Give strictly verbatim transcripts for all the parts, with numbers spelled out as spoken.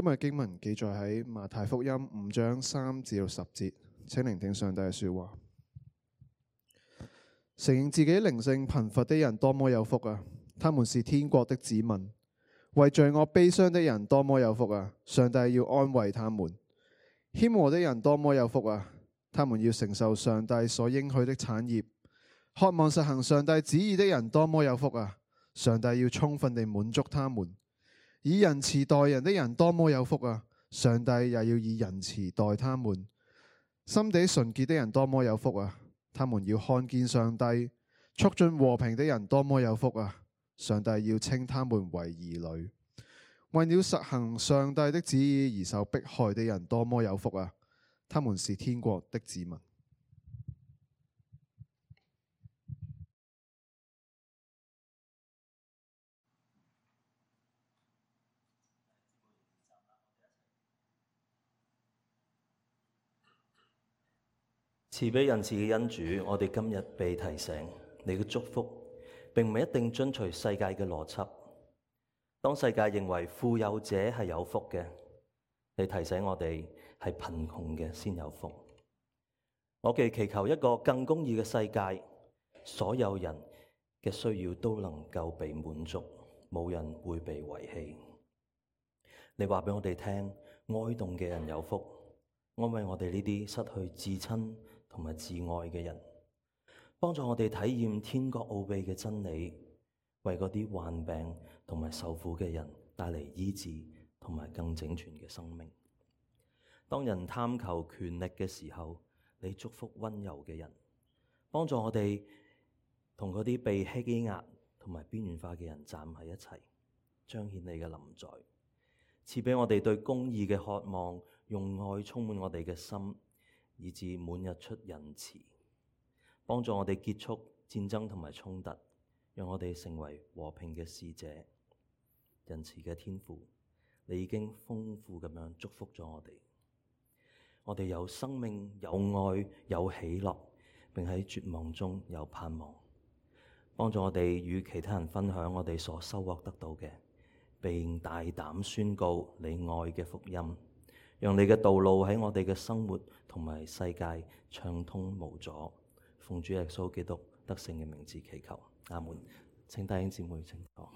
今日經文記載喺馬太福音五章三至到十節，請聆聽上帝嘅說話。承認自己靈性貧乏的人多麼有福啊！他們是天國的子民。為罪惡悲傷的人多麼有福啊！上帝要安慰他們。謙和的人多麼有福啊！他們要承受上帝所應許的產業。渴望實行上帝旨意的人多麼有福啊！上帝要充分地滿足他們。以仁慈待人的人多麼有福啊！上帝也要以仁慈待他們。心地純潔的人多麼有福啊！他們要看見上帝。促進和平的人多麼有福啊！上帝要稱他們為兒女。為了實行上帝的旨意而受迫害的人多麼有福啊！他們是天國的子民。慈悲仁慈嘅恩主，我哋今日被提醒，你嘅祝福並唔係一定遵隨世界嘅邏輯。當世界認為富有者係有福嘅，你提醒我哋係貧窮嘅先有福。我哋祈求一個更公義嘅世界，所有人嘅需要都能夠被滿足，冇人會被遺棄。你話俾我哋聽，哀慟嘅人有福，安慰我哋呢啲失去至親同埋至愛嘅人，幫助我哋體驗天國奧秘嘅真理，為嗰啲患病同埋受苦嘅人帶嚟醫治同埋更整全嘅生命。當人貪求權力嘅時候，你祝福溫柔嘅人，幫助我哋同嗰啲被欺壓同埋邊緣化嘅人站喺一齊，彰顯你嘅臨在，賜俾我哋對公義嘅渴望，用愛充滿我哋嘅心，以致滿溢出仁慈，幫助我哋結束戰爭同埋衝突，讓我哋成為和平嘅使者。仁慈嘅天父，你已經豐富咁樣祝福咗我哋，我哋有生命、有愛、有喜樂，並喺絕望中有盼望。幫助我哋與其他人分享我哋所收穫得到嘅，並大膽宣告你愛嘅福音，讓你嘅道路喺我哋嘅生活同埋世界暢通無阻。奉主耶穌基督得勝嘅名字祈求，阿門。請弟兄姊妹請坐。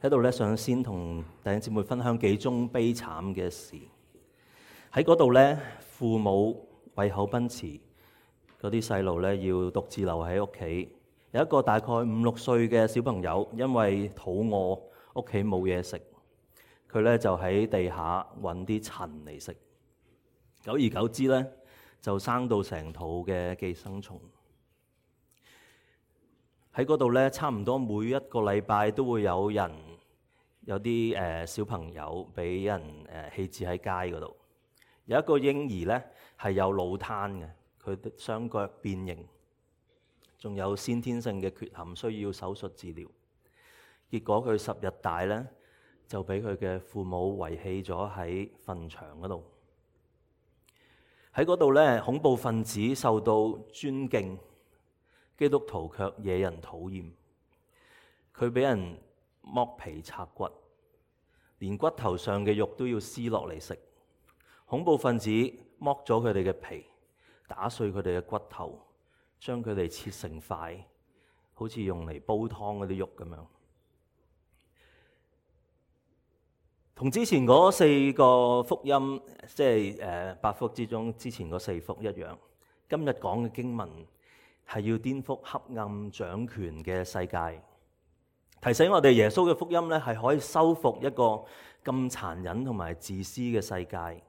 喺度咧，想先同弟兄姊妹分享幾宗悲慘嘅事。喺嗰度咧，父母為口奔馳，嗰啲細路咧要獨自留喺屋企。有一個大概五六歲嘅小朋友，因為肚餓，屋企冇嘢食，佢咧就喺地下揾啲塵嚟食。久而久之咧，就生到成肚嘅寄生蟲。喺嗰度咧，差唔多每一個禮拜都會有人有啲誒、呃、小朋友俾人誒棄置喺街嗰度。有一個嬰兒咧係有腦癱嘅，佢雙腳變形，仲有先天性嘅缺陷，需要手術治療。結果佢十日大咧，就俾佢嘅父母遺棄咗喺墳場嗰度。喺嗰度咧，恐怖分子受到尊敬，基督徒卻惹人討厭。佢俾人剝皮拆骨，連骨頭上嘅肉都要撕落嚟食。恐怖分子剝咗佢哋嘅皮，打碎佢哋嘅骨頭，將佢哋切成塊，好似用嚟煲湯嗰啲肉咁樣。同之前嗰四個福音，即係誒八福之中之前嗰四福一樣，今日講嘅經文係要顛覆黑暗掌權嘅世界，提醒我哋耶穌嘅福音咧係可以修復一個咁殘忍同埋自私嘅世界。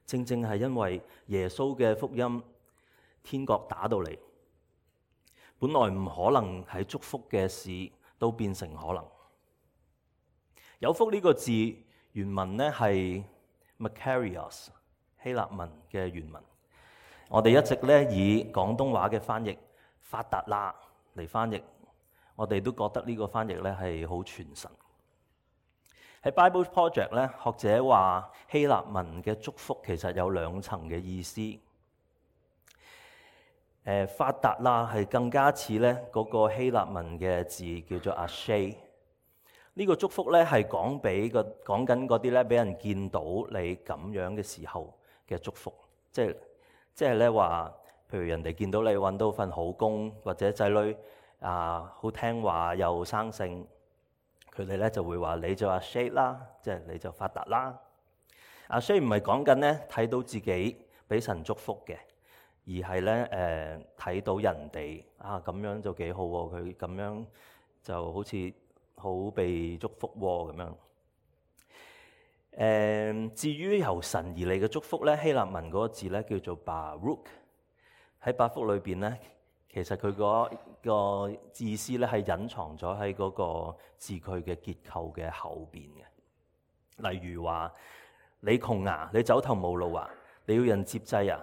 正正係因為耶穌嘅福音，天國打到嚟，本來唔可能係祝福嘅事，都變成可能。有福呢個字原文咧係 Makarios 希臘文嘅原文，我哋一直咧以廣東話嘅翻譯發達啦嚟翻譯，我哋都覺得呢個翻譯咧係好傳神。喺 Bible Project 咧，學者話希臘文嘅祝福其實有兩層嘅意思。誒、誒發達啦，係更加似咧嗰個希臘文嘅字叫做 Ashe。呢個祝福咧係講俾個講緊嗰啲咧俾人見到你咁樣嘅時候嘅祝福，即係即係咧話，譬如人哋見到你揾到份好工，或者仔女啊好聽話又生性，佢哋咧就會話你就 Ashe 啦，即係你就發達啦。Ashe 唔係講緊咧睇到自己俾神祝福嘅，而係咧誒睇到人哋啊咁樣就幾好喎，佢咁樣就好似好被祝福喎咁樣。誒、呃，至於由神而嚟嘅祝福咧，希臘文嗰個字咧叫做 Baruch。喺八福裏邊咧，其實佢嗰個意思咧係隱藏咗喺嗰個字句嘅結構嘅後邊嘅。例如話你窮啊，你走投無路啊，你要人接濟啊，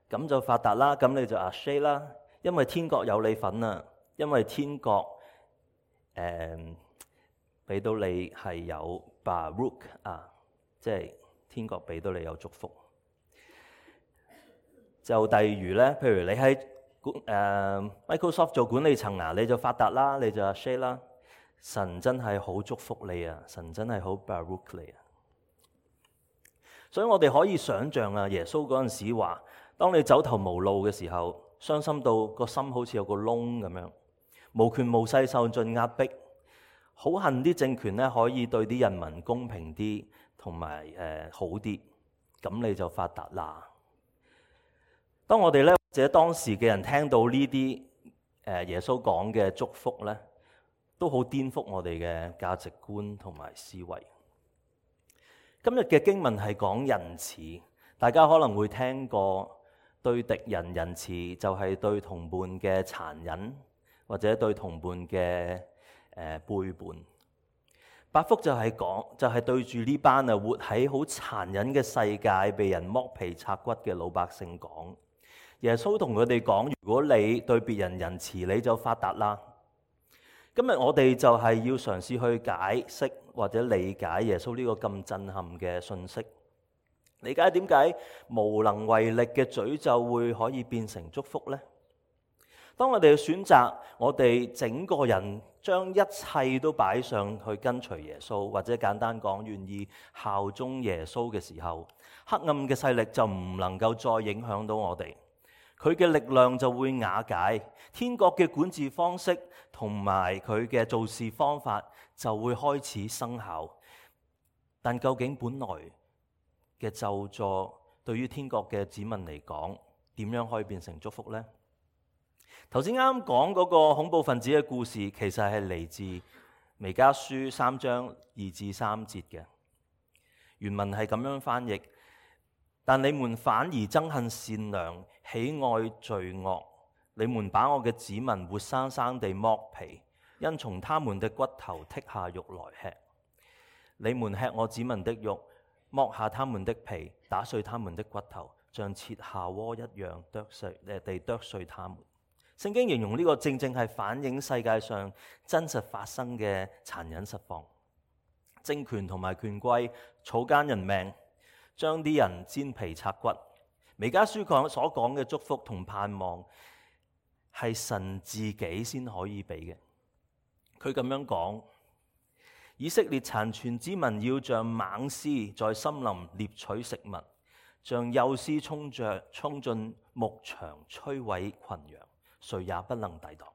咁就發達啦，咁你就 Ashe 啦，因為天國有你份啊，因為天國誒俾到你係有 Baruch 啊，即係天國俾到你有祝福。就例如咧，譬如你喺管誒、呃、Microsoft 做管理層啊，你就發達啦，你就 Ashe 啦。神真係好祝福你啊，神真係好 Baruch 你啊。所以我哋可以想像啊，耶穌嗰陣時話，當你走投無路嘅時候，傷心到個心好似有個窿咁樣，無權無勢受盡壓迫，好恨啲政權咧可以對啲人民公平啲，同埋誒好啲，咁你就發達啦。當我哋咧或者當時嘅人聽到呢啲誒耶穌講嘅祝福咧，都好顛覆我哋嘅價值觀同埋思維。今日嘅經文係講仁慈，大家可能會聽過對敵人仁慈就係對同伴嘅殘忍，或者對同伴嘅誒背叛。八福就係講就係、是、對住呢班啊活喺好殘忍嘅世界，被人剝皮拆骨嘅老百姓講。耶穌同佢哋講：如果你對別人仁慈，你就發達啦。今日我哋就係要嘗試去解釋或者理解耶穌呢個咁震撼嘅信息，理解點解無能為力嘅詛咒會可以變成祝福呢？當我哋選擇我哋整個人將一切都擺上去跟隨耶穌，或者簡單講願意效忠耶穌嘅時候，黑暗嘅勢力就唔能夠再影響到我哋。佢嘅力量就會瓦解，天國嘅管治方式同埋佢嘅做事方法就會開始生效。但究竟本來嘅咒詛對於天國嘅子民嚟講，點樣可以變成祝福呢？頭先啱啱講嗰個恐怖分子嘅故事，其實係嚟自彌迦書三章二至三節嘅。原文係咁樣翻譯。但你們反而憎恨善良，喜愛罪惡。你們把我嘅子民活生生地剝皮，因從他們的骨頭剔下肉來吃。你們吃我子民的肉，剝下他們的皮，打碎他們的骨頭，像切下鍋一樣剁碎誒地剁碎他們。聖經形容呢個正正係反映世界上真實發生嘅殘忍實況。政權同埋權貴草菅人命，將啲人煎皮拆骨。彌迦書講所講嘅祝福同盼望係神自己先可以俾嘅。佢咁樣講：以色列殘存之民要像猛獅在森林獵取食物，像幼獅衝着衝進牧場摧毀群羊，誰也不能抵擋。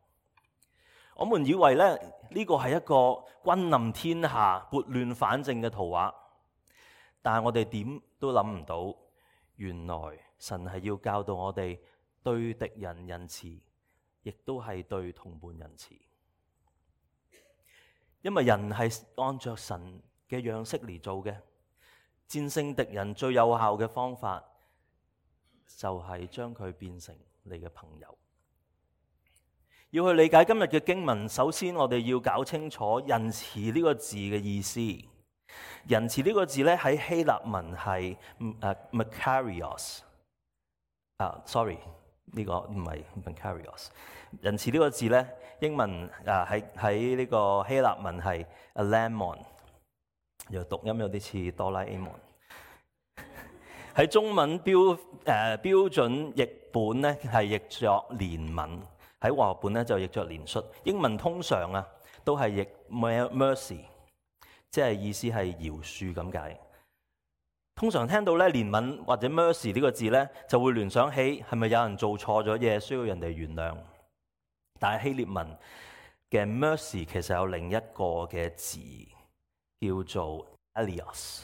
我們以為咧呢個係一個君臨天下、撥亂反正嘅圖畫。但係我哋點都諗唔到，原來神係要教導我哋對敵人仁慈，亦都係對同伴仁慈。因為人係按着神嘅樣式嚟做嘅，戰勝敵人最有效嘅方法就係將佢變成你嘅朋友。要去理解今日嘅經文，首先我哋要搞清楚仁慈呢個字嘅意思。仁慈呢個字咧喺希臘文係誒 Makarios 啊 ，sorry 呢個唔係 Makarios。仁慈呢個字咧英文啊喺喺呢個希臘文係 Alamon， 又讀音有啲似哆啦 A 夢。喺中文標誒、呃、標準譯本咧係譯作憐憫，喺和合本咧就譯作憐恤。英文通常啊都係譯 mercy， 即係意思係饒恕咁解。通常聽到咧憐憫或者 mercy 呢個字咧，就會聯想起係咪有人做錯咗嘢需要人哋原諒？但係希臘文嘅 mercy 其實有另一個嘅字叫做 elios。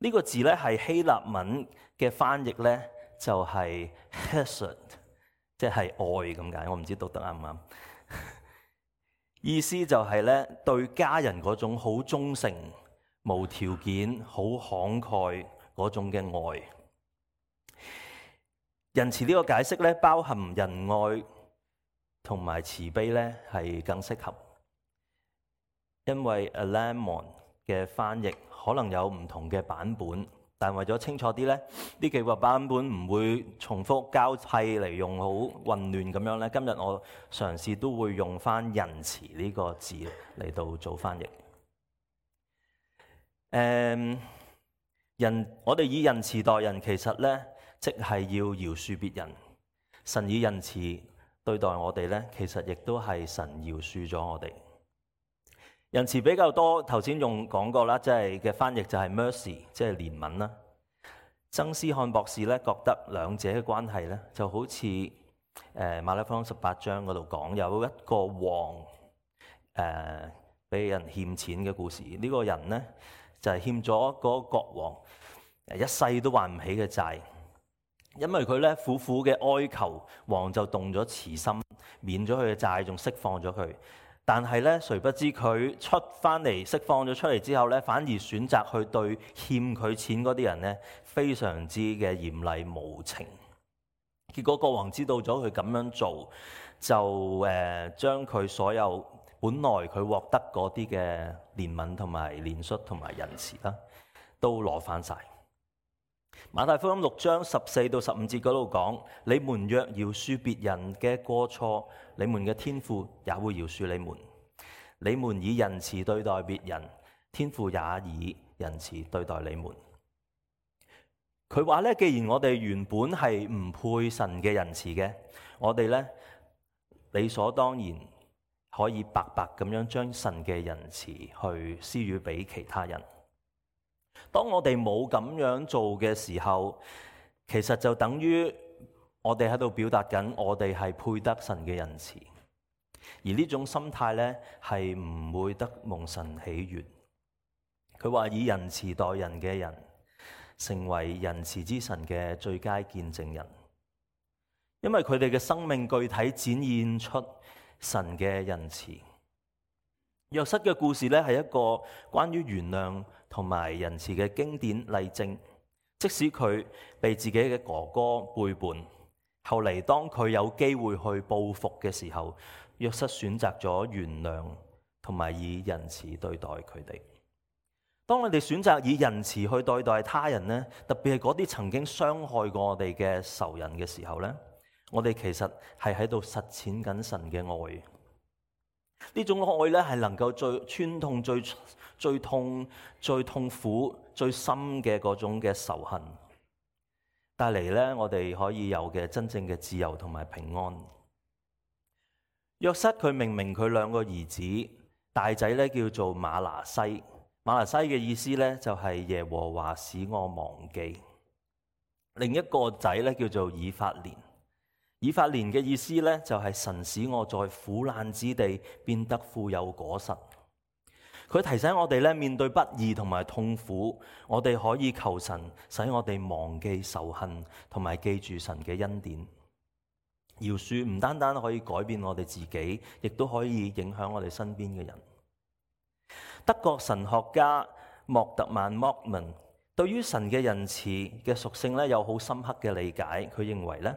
呢個字咧係希臘文嘅翻譯咧就係 hesed， 即係愛咁解。我唔知讀得啱唔啱？意思就係咧對家人嗰種好忠誠、無條件、好慷慨嗰種嘅愛。仁慈呢個解釋咧，包含仁愛同埋慈悲咧，係更適合。因為 alamon 嘅翻譯可能有唔同嘅版本，但為咗清楚啲咧，呢幾個版本唔會重複交替嚟用，好混亂咁樣咧。今日我嘗試都會用翻仁慈呢個字嚟到做翻譯。誒，人我哋以仁慈待人，其實咧即係要饒恕別人。神以仁慈對待我哋咧，其實亦都係神饒恕咗我哋。仁慈比較多，頭先用講過啦，即係嘅翻譯就係 mercy， 即係憐憫啦。曾思漢博士咧覺得兩者嘅關係咧，就好似誒馬太福音十八章嗰度講有一個王誒俾人欠錢嘅故事。呢、這個人咧就係、是、欠咗嗰個國王一世都還唔起嘅債，因為佢咧苦苦嘅哀求，王就動咗慈心，免咗佢嘅債，仲釋放咗佢。但係咧，誰不知佢出翻嚟釋放咗出嚟之後咧，反而選擇去對欠佢錢嗰啲人咧，非常之嘅嚴厲無情。結果國王知道咗佢咁樣做，就誒將佢所有本來佢獲得嗰啲嘅憐憫同埋憐恤同埋仁慈啦，都攞翻晒。馬太福音六章十四到十五節嗰度講：你們若饒恕別人嘅過錯，你們嘅天父也會饒恕你們；你們以仁慈對待別人，天父也以仁慈對待你們。佢話咧，既然我哋原本係唔配神嘅仁慈嘅，我哋咧理所當然可以白白咁樣將神嘅仁慈去施予俾其他人。當我哋冇咁樣做嘅時候，其實就等於我哋喺度表達緊我哋係配得神嘅仁慈，而呢種心態咧係唔會得蒙神喜悅。佢話以仁慈待人嘅人，成為仁慈之神嘅最佳見證人，因為佢哋嘅生命具體展現出神嘅仁慈。約瑟嘅故事咧係一個關於原諒同埋仁慈嘅經典例證。即使佢被自己嘅哥哥背叛，後嚟當佢有機會去報復嘅時候，約瑟選擇咗原諒同埋以仁慈對待佢哋。當我哋選擇以仁慈去對待他人咧，特別係嗰啲曾經傷害過我哋嘅仇人嘅時候咧，我哋其實係喺度實踐緊神嘅愛。呢種愛咧係能夠最穿痛、最最痛、最痛苦、最深嘅嗰種嘅仇恨，帶嚟咧我哋可以有嘅真正嘅自由同埋平安。約瑟佢明明佢兩個兒子，大仔咧叫做馬拿西，馬拿西嘅意思咧就係耶和華使我忘記。另一個仔咧叫做以法蓮。以法蓮嘅意思咧，就係神使我在苦難之地變得富有果實。佢提醒我哋咧，面對不義同埋痛苦，我哋可以求神使我哋忘記仇恨，同埋記住神嘅恩典。饒恕唔單單可以改變我哋自己，亦都可以影響我哋身邊嘅人。德國神學家莫特曼莫文對於神嘅仁慈嘅屬性咧，有好深刻嘅理解。佢認為咧，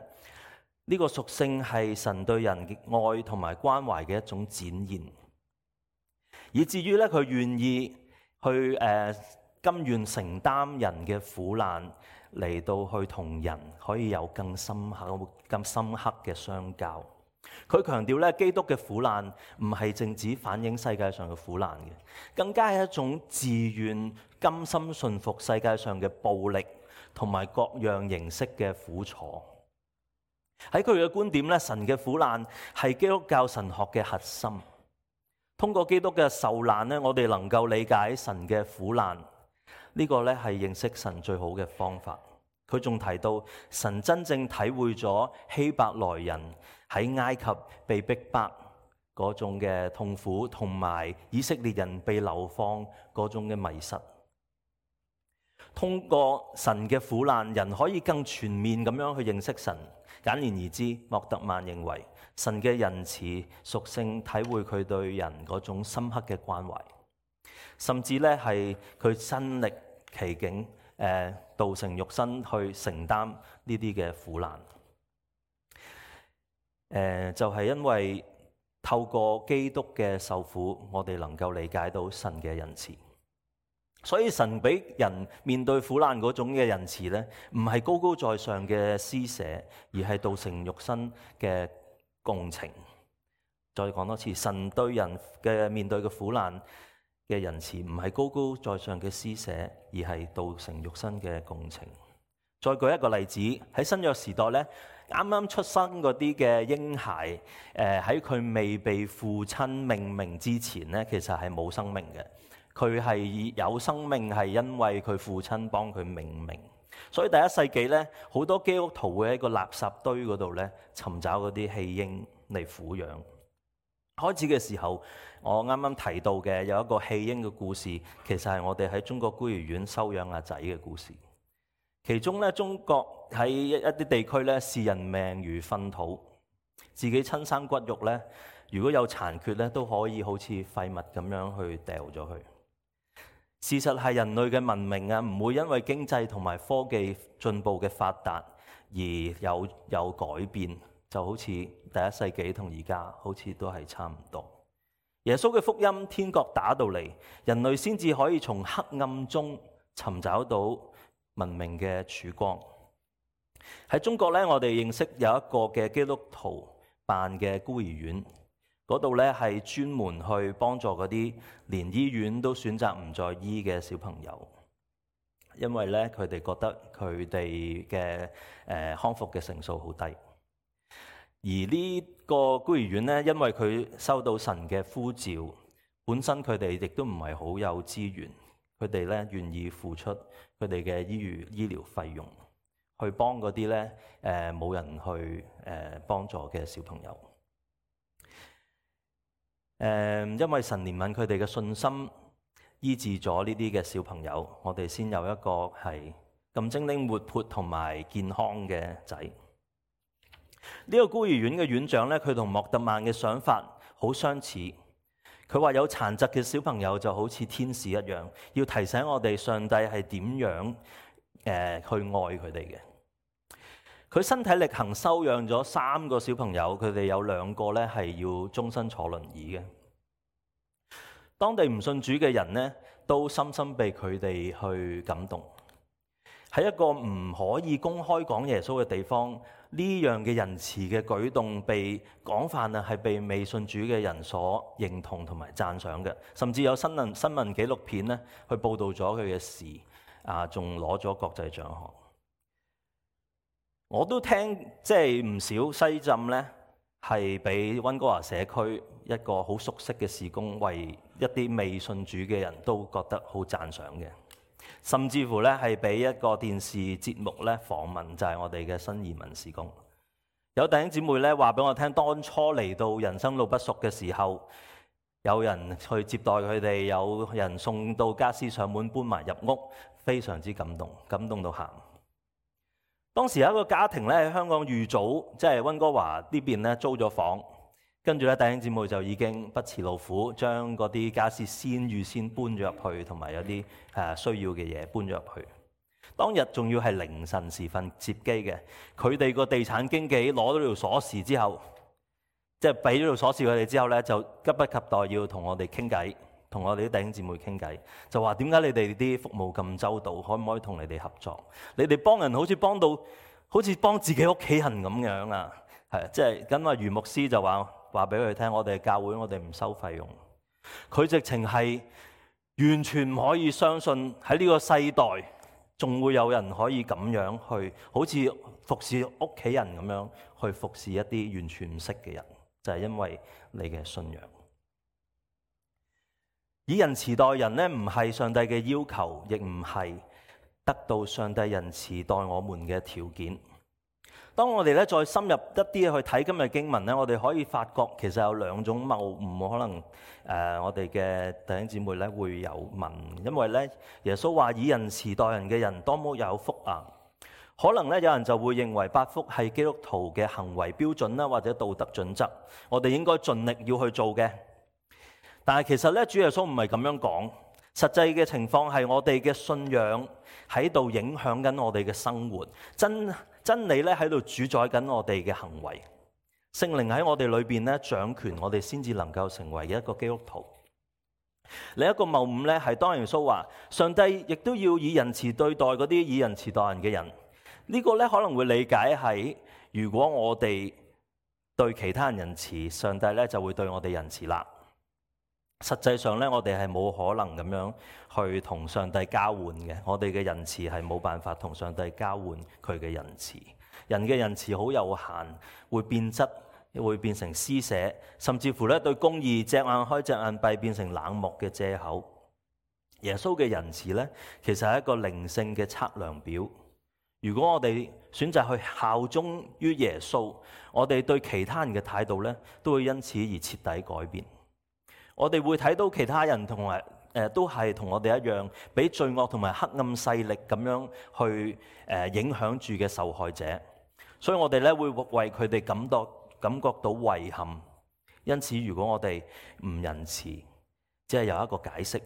呢個屬性係神對人嘅愛同埋關懷嘅一種展現，以至於咧佢願意去誒、呃、甘願承擔人嘅苦難，嚟到去同人可以有更深刻、更深刻嘅相交。佢強調咧，基督嘅苦難唔係淨止反映世界上嘅苦難嘅，更加係一種自願甘心順服世界上嘅暴力同埋各樣形式嘅苦楚。喺佢嘅觀點咧，神嘅苦難係基督教神學嘅核心。通過基督嘅受難咧，我哋能夠理解神嘅苦難。呢個咧係認識神最好嘅方法。佢仲提到神真正體會咗希伯來人喺埃及被逼迫嗰種嘅痛苦，同埋以色列人被流放嗰種嘅迷失。通過神嘅苦難，人可以更全面咁樣去認識神。簡言而之，莫特曼認為神嘅仁慈屬性體會佢對人嗰種深刻嘅關懷，甚至咧係佢身歷其境，誒道成肉身去承擔呢啲嘅苦難。誒就係因為透過基督嘅受苦，我哋能夠理解到神嘅仁慈。所以神俾人面對苦難嗰種嘅仁慈咧，唔係高高在上嘅施捨，而係道成肉身嘅共情。再講多次，神對人嘅面對嘅苦難嘅仁慈，唔係高高在上嘅施捨，而係道成肉身嘅共情。再舉一個例子，喺新約時代咧，啱啱出生嗰啲嘅嬰孩，誒喺佢未被父親命名之前咧，其實係冇生命嘅。佢係有生命係因為佢父親幫佢命名。所以第一世紀咧，好多基督徒會喺個垃圾堆嗰度咧尋找嗰啲棄嬰嚟撫養。開始嘅時候，我啱啱提到嘅有一個棄嬰嘅故事，其實係我哋喺中國孤兒院收養阿仔嘅故事。其中咧，中國喺一啲地區咧，視人命如糞土，自己親生骨肉咧，如果有殘缺咧，都可以好似廢物咁樣去掉咗佢。事實係人類嘅文明啊，唔會因為經濟同埋科技進步嘅發達而有有改變，就好似第一世紀同而家好似都係差唔多。耶穌嘅福音，天國打到嚟，人類先至可以從黑暗中尋找到文明嘅曙光。喺中國咧，我哋認識有一個嘅基督徒辦嘅孤兒院。嗰度咧係專門去幫助嗰啲連醫院都選擇唔再醫嘅小朋友，因為咧佢哋覺得佢哋嘅誒康復嘅成數好低。而呢個孤兒院咧，因為佢收到神嘅呼召，本身佢哋亦都唔係好有資源，佢哋咧願意付出佢哋嘅醫療醫療費用，去幫嗰啲咧誒冇人去誒幫助嘅小朋友。誒，因為神憐憫佢哋嘅信心，醫治咗呢啲嘅小朋友，我哋先有一個係咁精靈活潑同埋健康嘅仔。呢個孤兒院嘅院長咧，佢同莫特曼嘅想法好相似。佢話有殘疾嘅小朋友就好似天使一樣，要提醒我哋上帝係點樣誒去愛佢哋嘅。佢身體力行收養咗三個小朋友，佢哋有兩個咧係要終身坐輪椅嘅。當地唔信主嘅人咧，都深深被佢哋去感動。喺一個唔可以公開講耶穌嘅地方，呢樣嘅仁慈嘅舉動被廣泛啊係被未信主嘅人所認同同埋讚賞嘅，甚至有新聞新聞紀錄片咧去報導咗佢嘅事，啊仲攞咗國際獎項。我都聽即係唔少西浸咧，係俾溫哥華社區一個好熟悉嘅事工，為一啲未信主嘅人都覺得好讚賞嘅。甚至乎咧係俾一個電視節目咧訪問，就係我哋嘅新移民事工。有弟兄姊妹咧話俾我聽，當初嚟到人生路不熟嘅時候，有人去接待佢哋，有人送到家私上門搬埋入屋，非常之感動，感動到喊。當時有一個家庭咧喺香港預早，即係溫哥華呢邊咧租咗房，跟住咧弟兄姊妹就已經不辭勞苦，將嗰啲家私先預先搬咗入去，同埋有啲誒需要嘅嘢搬咗入去。當日仲要係凌晨時分接機嘅，佢哋個地產經紀攞咗條鎖匙之後，即係俾咗條鎖匙佢哋之後咧，就急不及待要同我哋傾偈。同我哋啲弟兄姊妹傾偈，就話點解你哋啲服務咁周到，可唔可以同你哋合作？你哋幫人好似幫到，好似幫自己屋企人咁樣啊！係即係咁啊，余牧師就話話俾佢聽，我哋教會我哋唔收費用。佢直情係完全唔可以相信喺呢個世代仲會有人可以咁樣去，好似服侍屋企人咁樣去服侍一啲完全唔識嘅人，就係因為你嘅信仰。以仁慈待人呢，唔係上帝嘅要求，亦唔係得到上帝仁慈待我們嘅條件。當我哋咧再深入一啲去睇今日經文咧，我哋可以發覺其實有兩種謬誤，可能誒、呃、我哋嘅弟兄姊妹咧會有問，因為咧耶穌話以仁慈待人嘅人多麼有福啊！可能咧有人就會認為八福係基督徒嘅行為標準啦，或者道德準則，我哋應該盡力要去做嘅。但係其實咧主耶穌唔係咁樣講，實際嘅情況係我哋嘅信仰喺度影響緊我哋嘅生活，真。真理咧喺度主宰緊我哋嘅行為，聖靈喺我哋裏邊咧掌權，我哋先至能夠成為一個基督徒。另一個謬誤咧係當耶穌話，上帝亦都要以仁慈對待嗰啲以仁慈待人嘅人。呢個咧可能會理解係，如果我哋對其他人仁慈，上帝咧就會對我哋仁慈啦。實際上咧，我哋係冇可能咁樣去同上帝交換嘅。我哋嘅仁慈係冇辦法同上帝交換佢嘅仁慈。人嘅仁慈好有限，會變質，會變成施捨，甚至乎咧對公義隻眼開隻眼閉，變成冷漠嘅藉口。耶穌嘅仁慈咧，其實係一個靈性嘅測量表。如果我哋選擇去效忠於耶穌，我哋對其他人嘅態度咧，都會因此而徹底改變。我哋會睇到其他人同埋誒都係同我哋一樣，俾罪惡同埋黑暗勢力咁樣去誒影響住嘅受害者，所以我哋咧會為佢哋感到感覺到遺憾。因此，如果我哋唔仁慈，只係有一個解釋，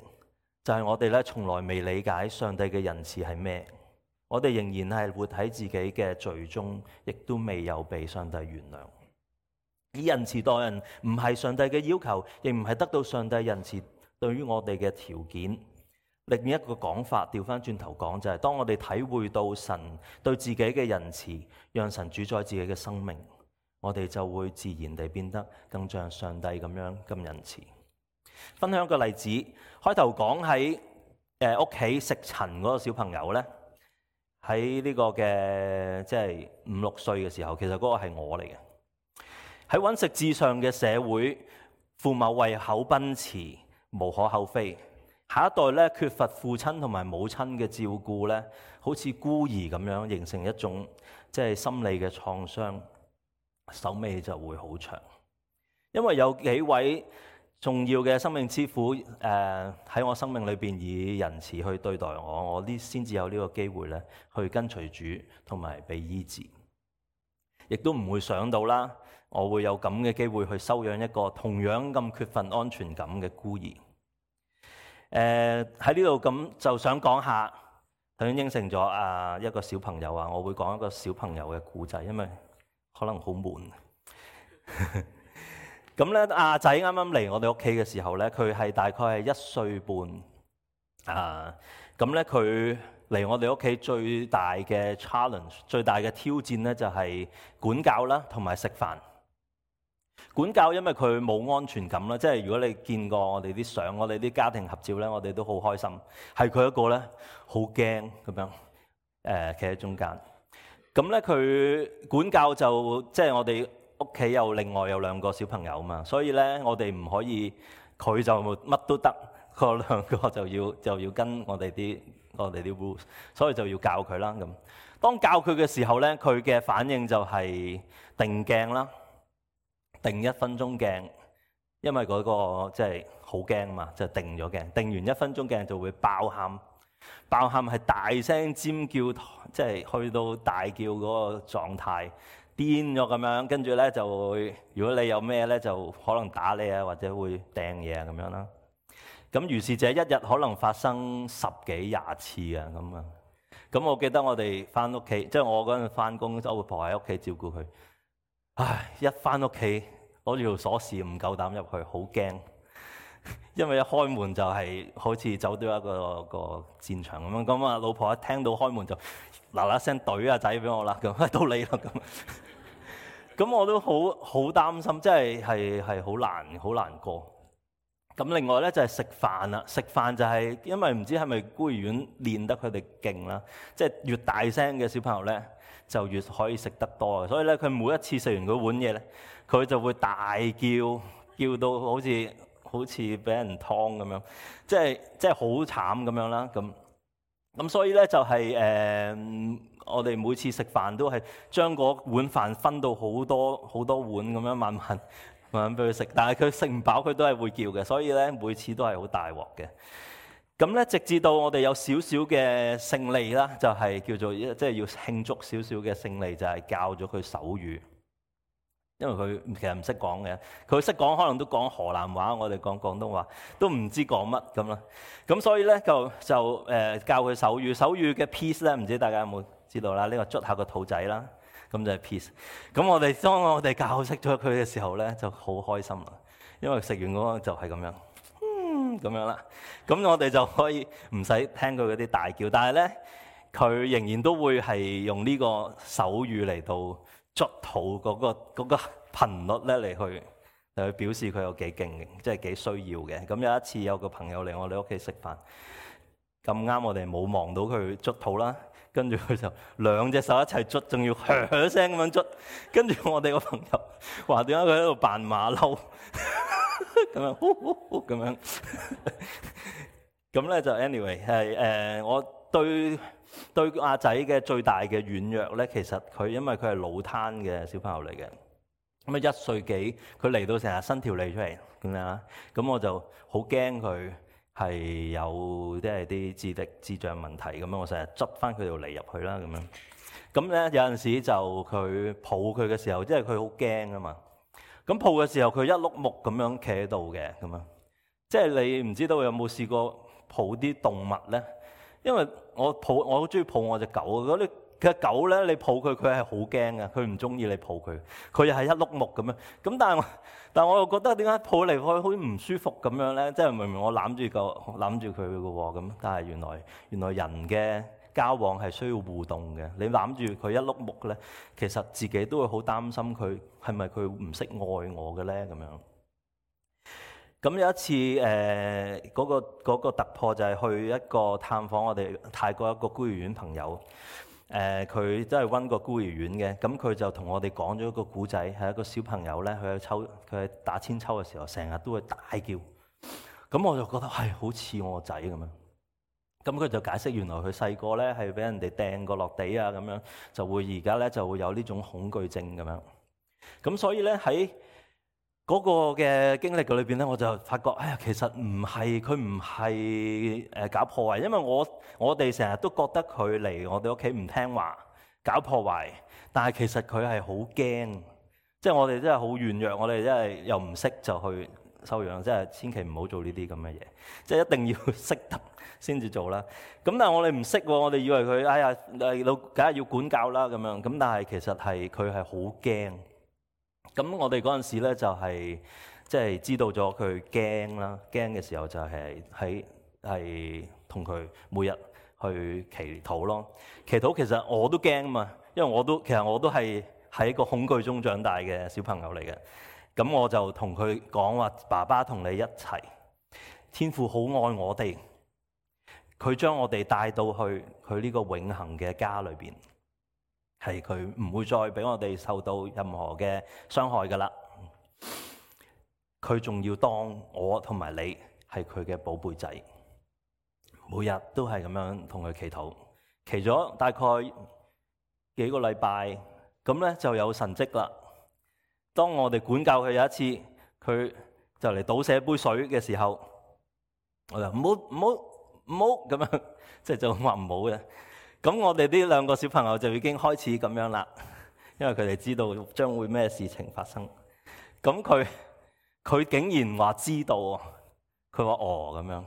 就係我哋咧從來未理解上帝嘅仁慈係咩。我哋仍然係活喺自己嘅罪中，亦都未有被上帝原諒。以仁慈待人唔係上帝嘅要求，亦唔係得到上帝仁慈對於我哋嘅條件。另一個講法，調翻轉頭講就係、是，當我哋體會到神對自己嘅仁慈，讓神主宰自己嘅生命，我哋就會自然地變得更像上帝咁樣咁仁慈。分享一個例子，開頭講喺誒屋企食塵嗰個小朋友呢，喺呢個嘅即係五六歲嘅時候，其實嗰個係我嚟嘅。喺揾食至上嘅社會，父母為口奔馳，無可厚非。下一代咧缺乏父親同埋母親嘅照顧咧，好似孤兒咁樣，形成一種即係心理嘅創傷，手尾就會好長。因為有幾位重要嘅生命之父誒喺我生命裏邊以仁慈去對待我，我呢先至有呢個機會咧去跟隨主同埋被醫治，亦都唔會想到啦。我會有咁嘅機會去收養一個同樣咁缺乏安全感嘅孤兒。誒喺呢度咁就想講下，頭先應承咗啊一個小朋友啊，我會講一個小朋友嘅故仔，因為可能好悶。咁咧，阿仔啱啱嚟我哋屋企嘅時候咧，佢係大概係一歲半啊。咁咧佢嚟我哋屋企最大嘅 challenge， 最大嘅挑戰咧就係管教啦，同埋食飯。管教，因為佢冇安全感啦，即係如果你見過我哋啲相，我哋啲家庭合照咧，我哋都好開心。係佢一個咧，好驚咁樣，誒企喺中間。咁咧佢管教就即係我哋屋企有另外有兩個小朋友嘛，所以咧我哋唔可以佢就乜都得，嗰兩個就要就要跟我哋啲我哋啲 rules， 所以就要教佢啦。咁當教佢嘅時候咧，佢嘅反應就係定鏡啦。定一分鐘鏡，因為嗰個即係好驚嘛，就定咗鏡。定完一分鐘鏡就會爆喊，爆喊係大聲尖叫，即係去到大叫嗰個狀態，癲咗咁樣。跟住咧就會，如果你有咩咧，就可能打你啊，或者會掟嘢啊咁樣啦。咁如是者一日可能發生十幾廿次啊咁啊。咁我記得我哋翻屋企，即係我嗰陣翻工，我婆喺屋企照顧佢。唉，一翻屋企攞住條鎖匙唔夠膽入去，好驚，因為一開門就係好似走到一個一個戰場咁樣。咁啊，老婆一聽到開門就嗱嗱聲懟阿仔俾我啦，咁到你啦咁。咁我都好好擔心，即係係係好難好難過。咁另外咧就係食飯啦，食飯就係因為唔知係咪孤兒院練得佢哋勁啦，即係越大聲嘅小朋友咧就越可以食得多，所以咧佢每一次食完嗰碗嘢咧，佢就會大叫，叫到好似好似俾人劏咁樣，即係即係好慘咁樣啦。咁咁所以咧就係、是、誒、呃，我哋每次食飯都係將嗰碗飯分到好多好多碗咁樣慢慢。慢慢俾佢食，但係佢食唔飽，佢都係會叫嘅，所以咧每次都係好大鑊嘅。咁咧直至到我哋有少少嘅勝利啦，就係、是、叫做即係要慶祝少少嘅勝利，就係、是、教咗佢手語。因為佢其實唔識講嘅，佢識講可能都講河南話，我哋講廣東話都唔知講乜咁啦。咁所以咧就就誒、呃、教佢手語，手語嘅 peace 咧，唔知大家有冇知道啦？呢、這個捽下個肚仔啦。咁就係 peace。咁我哋當我哋教識咗佢嘅時候咧，就好開心啦。因為食完嗰個就係咁樣，嗯咁樣啦。咁我哋就可以唔使聽佢嗰啲大叫，但係咧佢仍然都會係用呢個手語嚟到捽肚嗰個嗰個頻率咧嚟去嚟去表示佢有幾勁，即係幾需要嘅。咁有一次有個朋友嚟我哋屋企食飯，咁啱我哋冇望到佢捽肚啦。跟住佢就兩隻手一齊捽，仲要噓噓聲咁樣捽。跟住我哋個朋友話點解佢喺度扮馬騮咁樣，呼呼呼咁樣。咁咧就 anyway 係誒、呃，我對對阿仔嘅最大嘅軟弱咧，其實佢因為佢係腦癱嘅小朋友嚟嘅。咁啊一歲幾，佢嚟到成日伸條脷出嚟咁樣啦。咁我就好驚佢。係有即係啲智力智障問題咁樣，我成日執翻佢條脷入去啦咁樣。咁咧有陣時就佢抱佢嘅時候，即係佢好驚啊嘛。咁抱嘅時候，佢一碌木咁樣企喺度嘅咁樣。即係你唔知道有冇試過抱啲動物咧？因為我抱我好中意抱我隻狗，嗰啲嘅狗咧，你抱佢佢係好驚嘅，佢唔中意你抱佢，佢又係一碌木咁樣。咁但係我但係我又覺得點解抱嚟抱去好似唔舒服咁樣咧？即係明明我攬住個攬住佢嘅喎咁，但係原來原來人嘅交往係需要互動嘅。你攬住佢一碌木咧，其實自己都會好擔心佢係咪佢唔識愛我嘅咧咁樣。咁有一次誒嗰、呃嗰個嗰個突破就係去一個探訪我哋泰國一個孤兒院朋友。誒佢都係溫過孤兒院嘅，咁佢就同我哋講咗一個古仔，係一個小朋友咧，佢喺抽佢喺打千秋嘅時候，成日都會大叫。咁我就覺得係、哎、好似我個仔咁樣。咁佢就解釋原來佢細個咧係俾人哋掟過落地啊，咁樣就會而家咧就會有呢種恐懼症咁樣。咁所以咧喺嗰個嘅經歷嘅裏邊咧，我就發覺，哎呀，其實唔係佢唔係誒搞破壞，因為我我哋成日都覺得佢嚟我哋屋企唔聽話，搞破壞，但係其實佢係好驚，即係我哋真係好軟弱，我哋真係又唔識就去收養，即係千祈唔好做呢啲咁嘅嘢，即係一定要識得先至做啦。咁但係我哋唔識喎，我哋以為佢哎呀誒老梗係要管教啦咁樣，咁但係其實係佢係好驚。咁我哋嗰陣時咧就係即係知道咗佢驚啦，驚嘅時候就係喺係同佢每日去祈禱咯。祈禱其實我都驚啊嘛，因為我都其實我都係喺個恐懼中長大嘅小朋友嚟嘅。咁我就同佢講話，爸爸同你一齊，天父好愛我哋，佢將我哋帶到去佢呢個永恆嘅家裏邊。係佢唔會再俾我哋受到任何嘅傷害噶啦，佢仲要當我同埋你係佢嘅寶貝仔，每日都係咁樣同佢祈禱，祈咗大概幾個禮拜，咁咧就有神蹟啦。當我哋管教佢有一次，佢就嚟倒瀉杯水嘅時候，我就唔好唔好唔好咁樣，即係就話唔好嘅。咁我哋呢兩個小朋友就已經開始咁樣啦，因為佢哋知道將會咩事情發生。咁佢佢竟然話知道，佢話哦咁樣。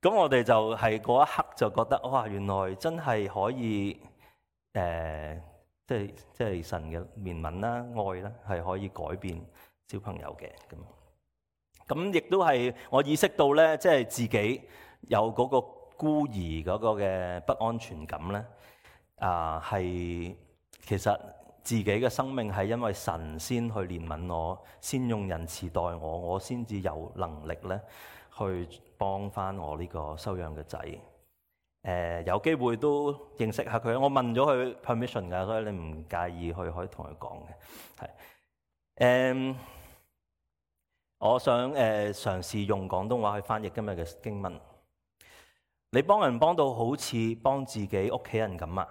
咁我哋就係嗰一刻就覺得哇，原來真係可以誒、呃，即係即係神嘅憐憫啦、愛啦，係可以改變小朋友嘅咁。咁亦都係我意識到咧，即係自己有嗰個孤兒嗰個嘅不安全感咧，啊係其實自己嘅生命係因為神先去憐憫我，先用仁慈待我，我先至有能力咧去幫翻我呢個收養嘅仔。誒、呃、有機會都認識下佢，我問咗佢 permission 㗎，所以你唔介意去可以同佢講嘅。係誒、呃，我想誒、呃、嘗試用廣東話去翻譯今日嘅經文。你幫人幫到好似幫自己屋企人咁啊！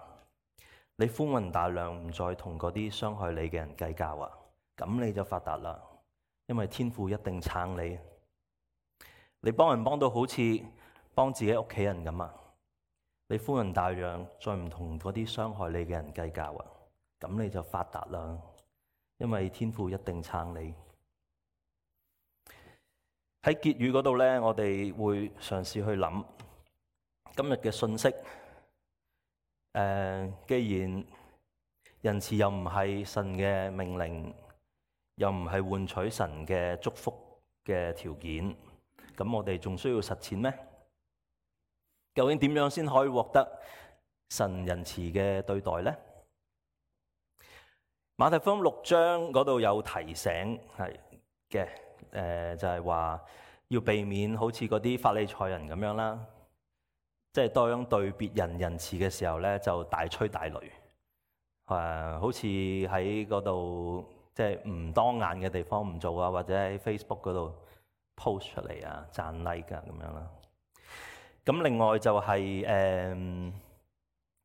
你寬宏大量，唔再同嗰啲傷害你嘅人計較啊！咁你就發達啦，因為天父一定撐你。你幫人幫到好似幫自己屋企人咁啊！你寬宏大量，再唔同嗰啲傷害你嘅人計較啊！咁你就發達啦，因為天父一定撐你。喺結語嗰度咧，我哋會嘗試去諗今日嘅信息。誒、呃，既然仁慈又唔係神嘅命令，又唔係換取神嘅祝福嘅條件，咁我哋仲需要實踐咩？究竟點樣先可以獲得神仁慈嘅對待呢？馬太福音六章嗰度有提醒係嘅，誒、呃、就係、是、話要避免好似嗰啲法利賽人咁樣啦。即係當對別人仁慈嘅時候咧，就大吹大擂，誒、呃，好似喺嗰度即係唔當眼嘅地方唔做啊，或者喺 Facebook 嗰度 post 出嚟啊，讚 like 啊咁樣啦。咁另外就係、是、誒，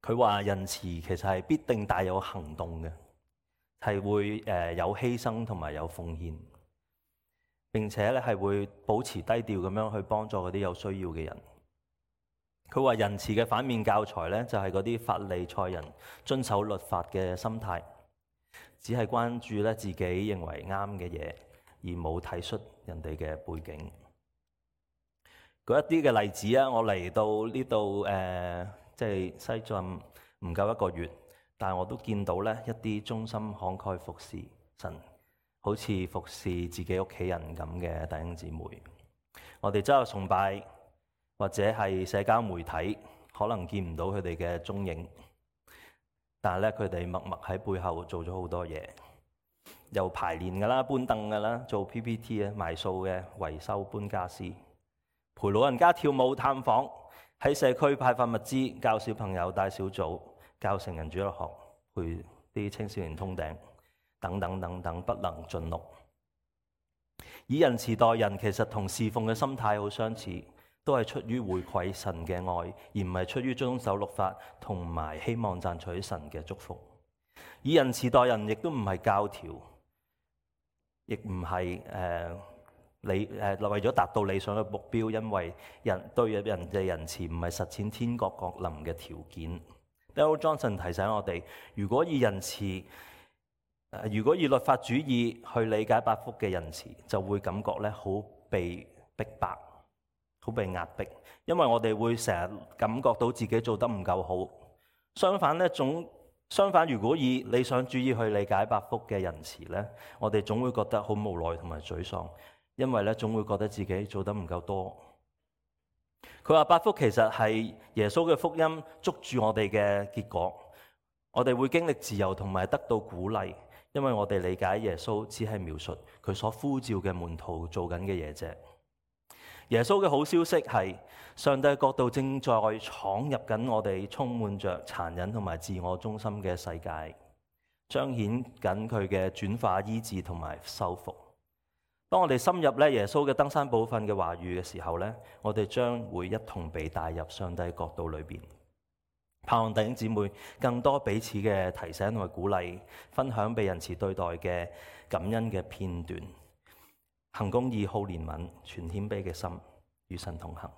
佢、呃、話仁慈其實係必定帶有行動嘅，係會誒、呃、有犧牲同埋有奉獻，並且咧係會保持低調咁樣去幫助嗰啲有需要嘅人。佢話仁慈嘅反面教材咧，就係嗰啲法利賽人遵守律法嘅心態，只係關注咧自己認為啱嘅嘢，而冇體恤人哋嘅背景。舉一啲嘅例子啊，我嚟到呢度誒，即係西進唔夠一個月，但係我都見到咧一啲忠心慷慨服侍神，好似服侍自己屋企人咁嘅弟兄姊妹。我哋周日崇拜，或者係社交媒體，可能見唔到佢哋嘅蹤影，但係咧佢哋默默喺背後做咗好多嘢，又排練㗎啦、搬凳㗎啦、做 P P T 啊、賣數嘅、維修、搬家私、陪老人家跳舞、探訪，喺社區派發物資、教小朋友帶小組、教成人主日學、陪啲青少年通頂，等等等等，不能盡錄。以仁慈待人，其實同侍奉嘅心態好相似。都係出於回饋神嘅愛，而唔係出於遵守律法同埋希望賺取神嘅祝福。以仁慈待人，亦都唔係教條，亦唔係誒理誒為咗達到理想嘅目標，因為人對人嘅仁慈唔係實踐天國降臨嘅條件。Darrell Johnson 提醒我哋，如果以仁慈，如果以律法主義去理解八福嘅仁慈，就會感覺咧好被逼迫。好被壓迫，因為我哋會成日感覺到自己做得唔夠好。相反咧，總相反，如果以理想主義去理解八福嘅仁慈咧，我哋總會覺得好無奈同埋沮喪，因為咧總會覺得自己做得唔夠多。佢話八福其實係耶穌嘅福音捉住我哋嘅結果，我哋會經歷自由同埋得到鼓勵，因為我哋理解耶穌只係描述佢所呼召嘅門徒做緊嘅嘢啫。耶穌嘅好消息係，上帝嘅國度正在闖入緊我哋充滿着殘忍同埋自我中心嘅世界，彰顯緊佢嘅轉化、醫治同埋修復。當我哋深入咧耶穌嘅登山寶訓嘅話語嘅時候咧，我哋將會一同被帶入上帝國度裏邊。盼望弟兄姊妹更多彼此嘅提醒同埋鼓勵，分享被仁慈對待嘅感恩嘅片段。行公義、好憐憫、全謙卑嘅心，與神同行。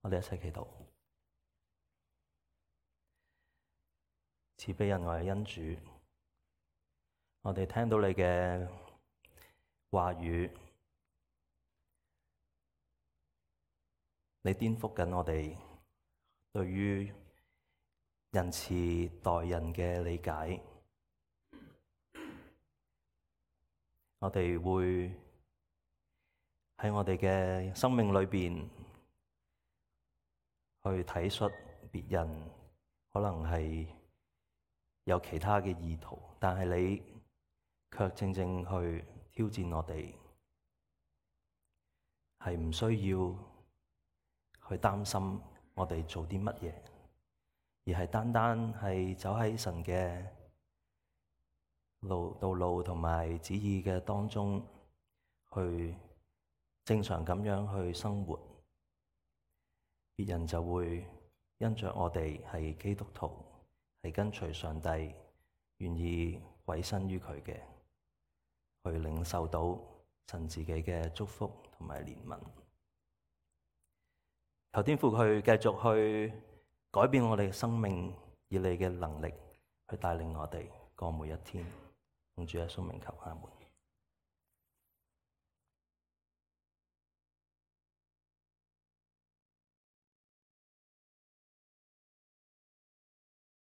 我哋一齊祈禱。慈悲仁愛嘅恩主，我哋聽到你嘅話語，你顛覆緊我哋對於仁慈待人嘅理解。我哋會喺我哋嘅生命裏邊去體恤別人，可能係有其他嘅意圖，但係你卻正正去挑戰我哋，係唔需要去擔心我哋做啲乜嘢，而係單單係走喺神嘅路道路同埋旨意嘅當中，去正常咁樣去生活，別人就會因着我哋係基督徒，係跟隨上帝，願意委身於佢嘅，去領受到神自己嘅祝福同埋憐憫。求天父佢繼續去改變我哋嘅生命，以你嘅能力去帶領我哋過每一天。奉主耶穌名求，阿門。